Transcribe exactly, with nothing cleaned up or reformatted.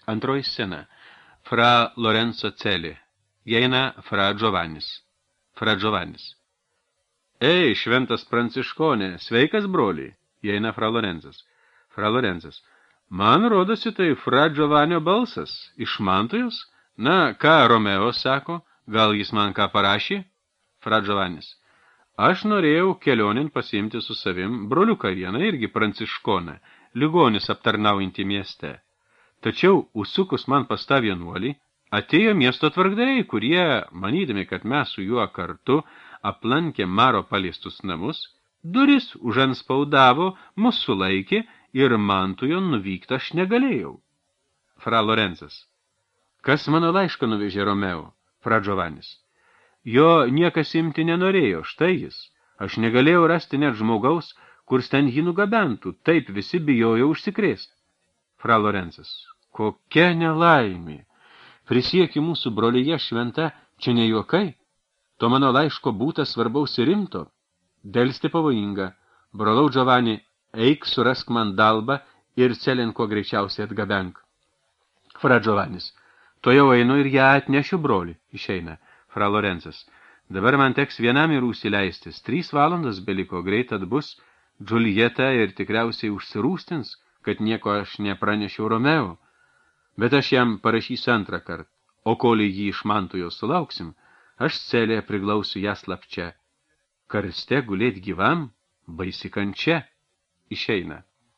Antroji scena. Fra Lorenzo Celi. Įeina fra Giovannis. Fra Giovannis. Ei, šventas pranciškonė, sveikas broli. Įeina fra Lorenzas. Fra Lorenzas. Man rodosi tai fra Giovanio balsas. Iš Mantojos? Na, ką Romeo sako? Gal jis man ką parašė? Fra Giovannis. Aš norėjau kelionin pasiimti su savim broliuką vieną irgi pranciškoną, ligonis aptarnaujantį mieste. Tačiau, užsukus man pas tą vienuolį, atėjo miesto tvarkdariai, kurie, manydami, kad mes su juo kartu aplankė Maro paliestus namus, duris užanspaudavo, mus sulaikė ir Mantujon nuvykti aš negalėjau. Fra Lorenzas. Kas mano laišką nuvežė Romeo? Fra Giovannis. Jo niekas imti nenorėjo, štai jis. Aš negalėjau rasti net žmogaus, kur ten jį nugabentų, taip visi bijojo užsikrėsti. Fra Lorenzas. Kokia nelaimė. Prisieki mūsų brolyje šventa, čia ne juokai. To mano laiško būta svarbaus ir rimto. Delsti pavojinga. Brolau Giovanni, eik surask man dalbą ir Celin kuo greičiausiai atgabenk. Fra Giovannis. To jau einu ir ją atnešiu broli. Išeina. Fra Lorenzas. Dabar man teks vienam ir užsileistis. Trys valandos beliko, greit atbus Džuljeta ir tikriausiai užsirūstins, kad nieko aš nepranešiau Romeo. Bet aš jam parašysiu antrą kartą. O kol jį iš Mantojos sulauksim, aš Celėje priglausiu ją slapčia. Karste gulėt gyvam, baisi kančia. Išeina.